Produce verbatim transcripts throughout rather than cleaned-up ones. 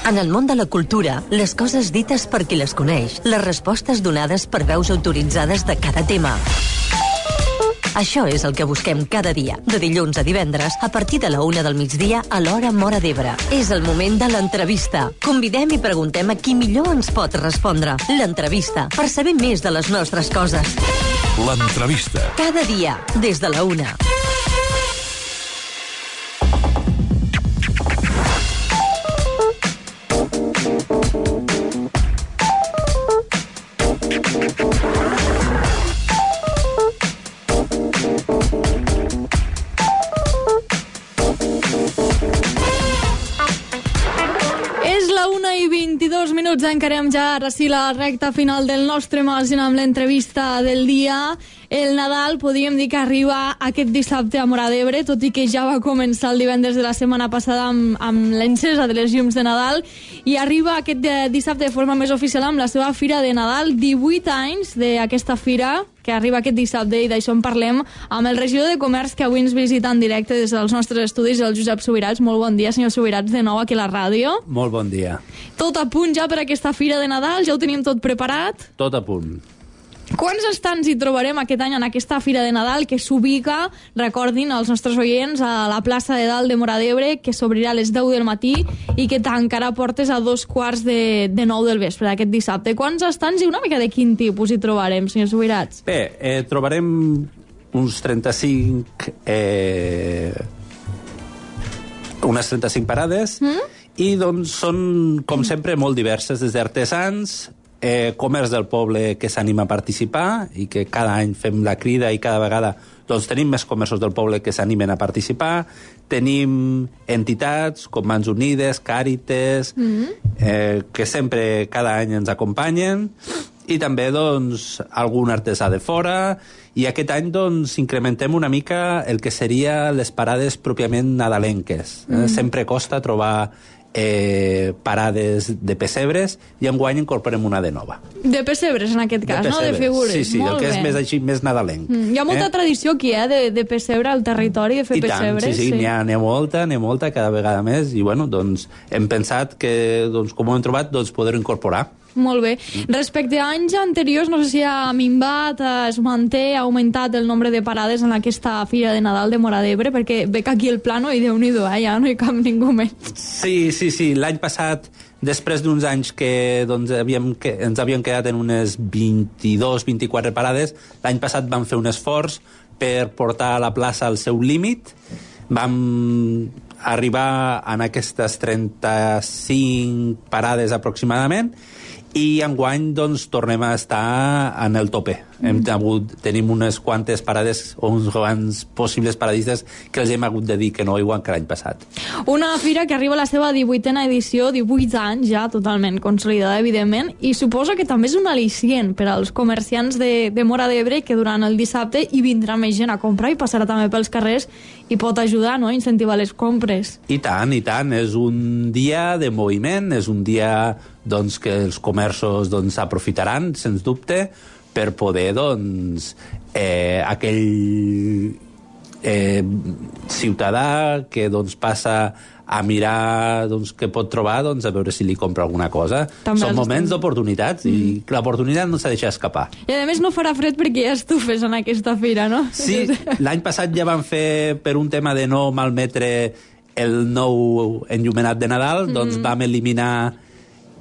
En el món de la cultura, les coses dites per qui les coneix, les respostes donades per veus autoritzades de cada tema. Això és el que busquem cada dia, de dilluns a divendres, a partir de la una del migdia a l'hora Móra d'Ebre. És el moment de l'entrevista. Convidem i preguntem a qui millor ens pot respondre. L'entrevista, per saber més de les nostres coses. L'entrevista. Cada dia, des de la una. Minuts, encarem ja ara sí la recta final del nostre magazín amb l'entrevista del dia. El Nadal podríem dir que arriba aquest dissabte a Móra d'Ebre, tot i que ja va començar el divendres de la setmana passada amb, amb l'encesa de les llums de Nadal, i arriba aquest dissabte de forma més oficial amb la seva Fira de Nadal. divuit anys d'aquesta fira que arriba aquest dissabte, i d'això en parlem amb el regidor de Comerç, que avui ens visita en directe des dels nostres estudis, el Josep Subirats. Molt bon dia, senyor Subirats, de nou aquí a la ràdio. Molt bon dia. Tot a punt ja per aquesta Fira de Nadal? Ja ho tenim tot preparat? Tot a punt. Quants estants hi trobarem aquest any en aquesta Fira de Nadal, que s'ubica, recordin els nostres oients, a la plaça de Dalt de Móra d'Ebre, que s'obrirà a les deu del matí i que tancarà portes a dos quarts de, de nou del vespre d'aquest dissabte? Quants estants i una mica de quin tipus hi trobarem, senyor Subirats? Bé, eh, trobarem uns trenta-cinc... Eh, unes trenta-cinc parades, mm? I doncs són, com sempre, molt diverses, des d'artesans, Eh, comerç del poble que s'anima a participar i que cada any fem la crida i cada vegada doncs, tenim més comerços del poble que s'animen a participar. Tenim entitats com Mans Unides, Càrites, mm-hmm. eh, que sempre cada any ens acompanyen, i també doncs, algun artesà de fora, i aquest any doncs, incrementem una mica el que seria les parades pròpiament nadalenques. Mm-hmm. Eh, sempre costa trobar Eh, parades de pessebres, i enguany incorporem una de nova. De pessebres, en aquest cas, de no? De figures. Sí, sí, molt el que bé. És més així, més nadalenc. Mm, hi ha molta eh? tradició aquí, eh, de, de pessebre al territori, de fer I pessebres. Tant, sí, sí, sí. N'hi ha, n'hi ha molta, n'hi ha molta, cada vegada més, i bueno, doncs hem pensat que, doncs, com ho hem trobat, doncs poder-ho incorporar. Molt bé. Respecte a anys anteriors, no sé si ha minvat, es manté, ha augmentat el nombre de parades en aquesta Fira de Nadal de Móra d'Ebre, perquè veig aquí el plano i Déu-n'hi-do, eh? Ja no hi cap ningú més. Sí, sí, sí. L'any passat, després d'uns anys que, doncs, havíem, que ens havíem quedat en unes vint-i-dos vint-i-quatre parades, l'any passat vam fer un esforç per portar a la plaça al seu límit. Vam arribar en aquestes trenta-cinc parades aproximadament, i enguany doncs, tornem a estar en el tope. Mm. Hem hagut, tenim unes quantes parades o uns quants possibles paradistes que els hem hagut de dir que no, igual que l'any passat. Una fira que arriba a la seva divuitena edició, divuit anys ja totalment consolidada, evidentment, i suposo que també és un al·licient per als comerciants de, de Móra d'Ebre, que durant el dissabte hi vindrà més gent a comprar i passarà també pels carrers i pot ajudar, no?, a incentivar les compres. I tant, i tant. És un dia de moviment, és un dia doncs, que els comerços doncs, aprofitaran, sens dubte, per poder, doncs, eh, aquell eh, ciutadà que doncs, passa a mirar doncs, què pot trobar, doncs, a veure si li compra alguna cosa. També són moments d'oportunitats, mm. i l'oportunitat no s'ha de deixar escapar. I a més no farà fred perquè hi ha estufes en aquesta fira, no? Sí, l'any passat ja van fer, per un tema de no malmetre el nou enllumenat de Nadal, mm. doncs vam eliminar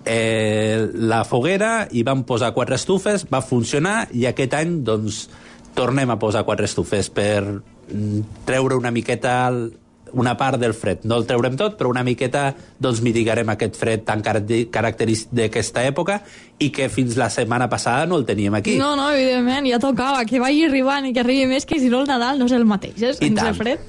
Eh, la foguera i vam posar quatre estufes, va funcionar, i aquest any doncs tornem a posar quatre estufes per treure una miqueta una part del fred. No el treurem tot, però una miqueta doncs mitigarem aquest fred tan característic d'aquesta època i que fins la setmana passada no el teníem aquí. No, no, evidentment, ja tocava que vagi arribant i que arribi més, que si no el Nadal no és el mateix, eh, sense fred.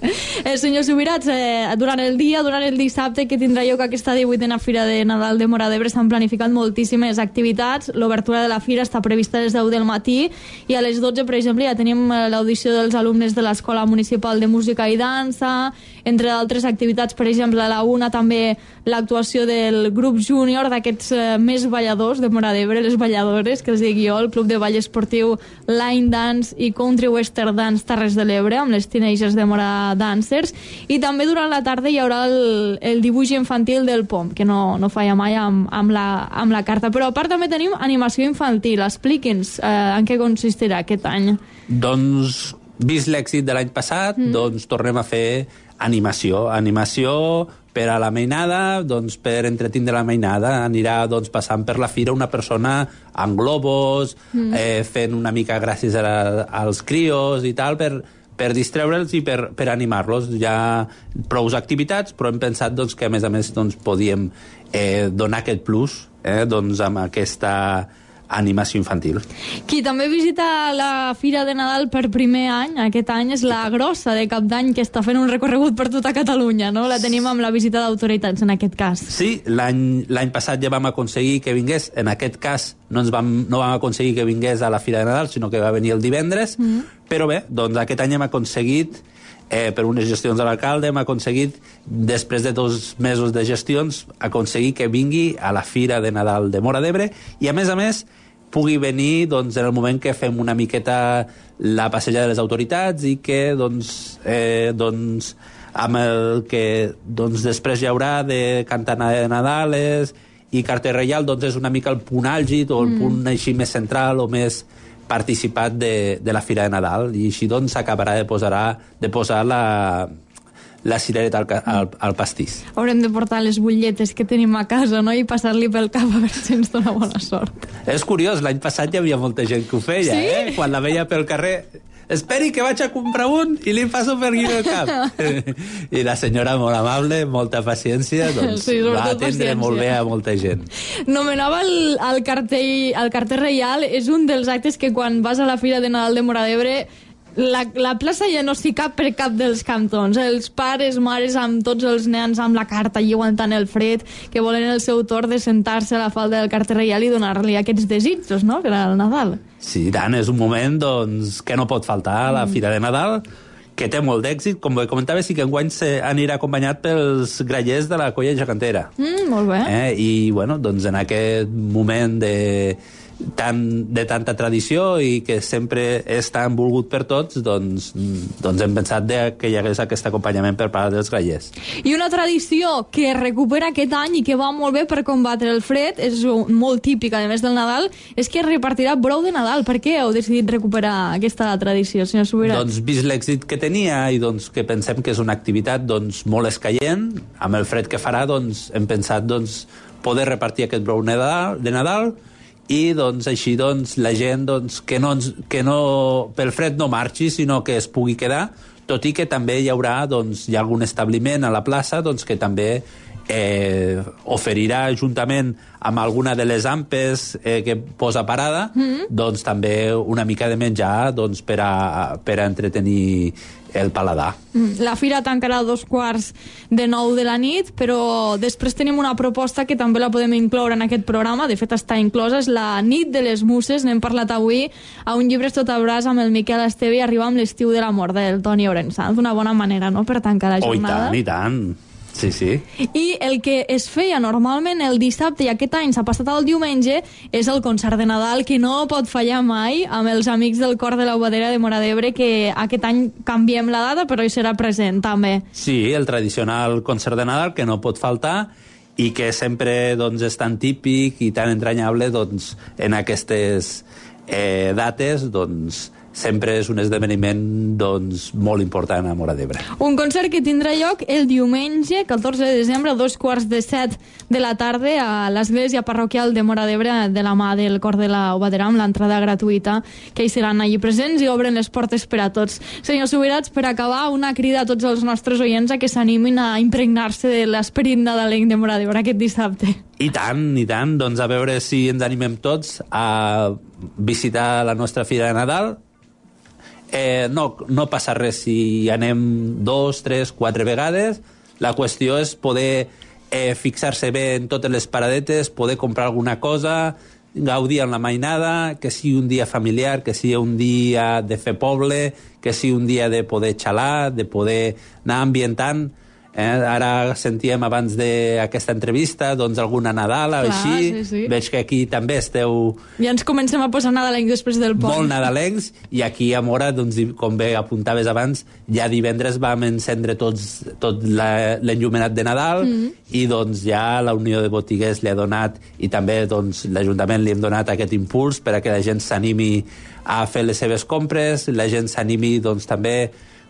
Eh, senyor Subirats, eh, durant el dia, durant el dissabte que tindrà lloc aquesta divuitena Fira de Nadal de Móra d'Ebre, s'han planificat moltíssimes activitats. L'obertura de la fira està prevista a les deu del matí i a les dotze, per exemple, ja tenim l'audició dels alumnes de l'Escola Municipal de Música i Dansa, entre d'altres activitats, per exemple, a la una també l'actuació del grup júnior d'aquests eh, més balladors de Móra d'Ebre, les balladores, que els dic jo, el Club de Ball Esportiu Line Dance i Country Western Dance Terres de l'Ebre, amb les Teenagers de Móra Dancers, i també durant la tarda hi haurà el, el dibuix infantil del P O M, que no, no falla mai amb, amb, la, amb la carta. Però a part també tenim animació infantil. Expliqui'ns eh, en què consistirà aquest any. Doncs, vist l'èxit de l'any passat, mm. doncs tornem a fer animació. Animació per a la mainada, doncs per entretindre la mainada. Anirà doncs, passant per la fira una persona amb globos, mm. eh, fent una mica gràcies a la, als crios i tal, per, per distreure'ls i per, per animar-los. Hi ha prou activitats, però hem pensat doncs, que a més a més doncs, podíem eh, donar aquest plus eh, doncs, amb aquesta animació infantil. Qui també visita la Fira de Nadal per primer any, aquest any, és la Grossa de Cap d'Any, que està fent un recorregut per tota Catalunya, no? La tenim amb la visita d'autoritats, en aquest cas. Sí, l'any passat ja vam aconseguir que vingués, en aquest cas no, ens vam, no vam aconseguir que vingués a la Fira de Nadal, sinó que va venir el divendres, mm. però bé, doncs aquest any hem aconseguit Eh, per unes gestions de l'alcalde hem aconseguit, després de dos mesos de gestions, aconseguir que vingui a la Fira de Nadal de Móra d'Ebre i a més a més pugui venir doncs, en el moment que fem una miqueta la passejada de les autoritats i que doncs, eh, doncs, amb el que doncs, després hi haurà de cantar de Nadales i carter reial, doncs és una mica el punt àlgid o el mm. punt així més central o més participat de, de la Fira de Nadal i així doncs s'acabarà de, de posar la, la cirereta al, al, al pastís. Haurem de portar les butlletes que tenim a casa, no? I passar-li pel cap a veure si ens dona bona sort. És curiós, l'any passat hi havia molta gent que ho feia, sí? eh? Quan la veia pel carrer... Esperi que vaig a comprar un i li passo per aquí el cap. I la senyora molt amable, molta paciència, doncs sí, va atendre paciència. Molt bé a molta gent. Nomenava el, el, cartell, el carter reial, és un dels actes que quan vas a la Fira de Nadal de Móra d'Ebre la, la plaça ja no s'hi cap per cap dels cantons. Els pares, mares, amb tots els nens amb la carta i aguantant el fred, que volen el seu torn de sentar-se a la falda del carter reial i donar-li aquests desitjos, no?, per al Nadal. Sí, tant, és un moment doncs, que no pot faltar a la mm. Fira de Nadal, que té molt d'èxit. Com comentava, sí que enguany anirà acompanyat pels grallers de la colla gegantera. Mm, molt bé. Eh? I, bueno, doncs en aquest moment de... Tan, de tanta tradició i que sempre és tan volgut per tots, doncs, doncs hem pensat de que hi hagués aquest acompanyament per part dels grallers. I una tradició que recupera aquest any i que va molt bé per combatre el fred, és molt típica, a més del Nadal, és que es repartirà brou de Nadal. Per què heu decidit recuperar aquesta tradició, senyor Subirats? Doncs vist l'èxit que tenia i doncs, que pensem que és una activitat doncs, molt escaient, amb el fred que farà doncs, hem pensat doncs, poder repartir aquest brou de Nadal i doncs, així doncs, la gent doncs, que, no, que no, pel fred no marxi, sinó que es pugui quedar, tot i que també hi haurà doncs, hi ha algun establiment a la plaça doncs, que també eh, oferirà juntament amb alguna de les ampes eh, que posa parada, mm-hmm. doncs també una mica de menjar doncs, per, a, per a entretenir el paladar. La fira tancarà a dos quarts de nou de la nit, però després tenim una proposta que també la podem incloure en aquest programa, de fet està inclosa, és la nit de les muses. N'hem parlat avui a un llibre tot a braç amb el Miquel Esteve i arriba amb l'estiu de l'amor del Toni Orensanz. Una bona manera, no?, per tancar la jornada. Oh, i tant, i tant. Sí, sí. I el que es feia normalment el dissabte i aquest any s'ha passat al diumenge és el concert de Nadal, que no pot fallar mai, amb els amics del cor de la Obadera de Móra d'Ebre, que aquest any canviem la data però hi serà present també. Sí, el tradicional concert de Nadal que no pot faltar i que sempre doncs, és tan típic i tan entranyable doncs, en aquestes eh, dates, doncs sempre és un esdeveniment doncs, molt important a Móra d'Ebre. Un concert que tindrà lloc el diumenge, catorze de desembre, a dos quarts de set de la tarda, a l'església parroquial de Móra d'Ebre, de la mà del cor de la Obadera, amb l'entrada gratuïta, que hi seran allí presents i obren les portes per a tots. Senyor Subirats, per acabar, una crida a tots els nostres oients a que s'animin a impregnar-se de l'esperit nadalenc de Móra d'Ebre aquest dissabte. I tant, i tant. Doncs a veure si ens animem tots a visitar la nostra Fira de Nadal. Eh, no, no passa res si anem dos, tres, quatre vegades. La qüestió és poder eh, fixar-se bé en totes les paradetes, poder comprar alguna cosa, gaudir amb la mainada, que sigui un dia familiar, que sigui un dia de fer poble, que sigui un dia de poder xalar, de poder anar ambientant Eh? Ara sentíem abans d'aquesta entrevista doncs alguna Nadal o així. Sí, sí. Veig que aquí també esteu... Ja ens comencem a posar nadalencs després del pont. Molt nadalencs, i aquí a Móra, doncs, com bé apuntaves abans, ja divendres vam encendre tots, tot l'enllumenat de Nadal, mm. i doncs ja la Unió de Botiguers li ha donat, i també doncs, l'Ajuntament li hem donat aquest impuls per a que la gent s'animi a fer les seves compres, la gent s'animi doncs, també,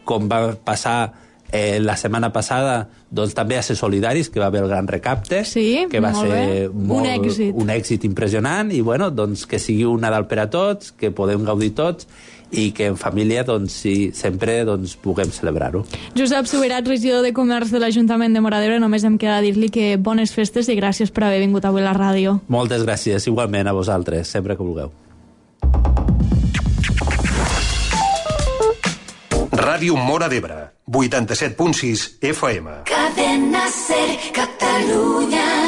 com va passar Eh, la setmana passada, doncs també a ser solidaris, que va haver el gran recapte, sí, que va molt ser molt, un, èxit. un èxit impressionant, i bueno, doncs que sigui un Nadal per a tots, que podem gaudir tots, i que en família doncs, sí, sempre doncs, puguem celebrar-ho. Josep Subirat, regidor de Comerç de l'Ajuntament de Móra d'Ebre, només em queda dir-li que bones festes i gràcies per haver vingut avui a la ràdio. Moltes gràcies, igualment a vosaltres, sempre que vulgueu. Ràdio Móra d'Ebre, vuitanta-set punt sis F M. Cadena Ser, Catalunya.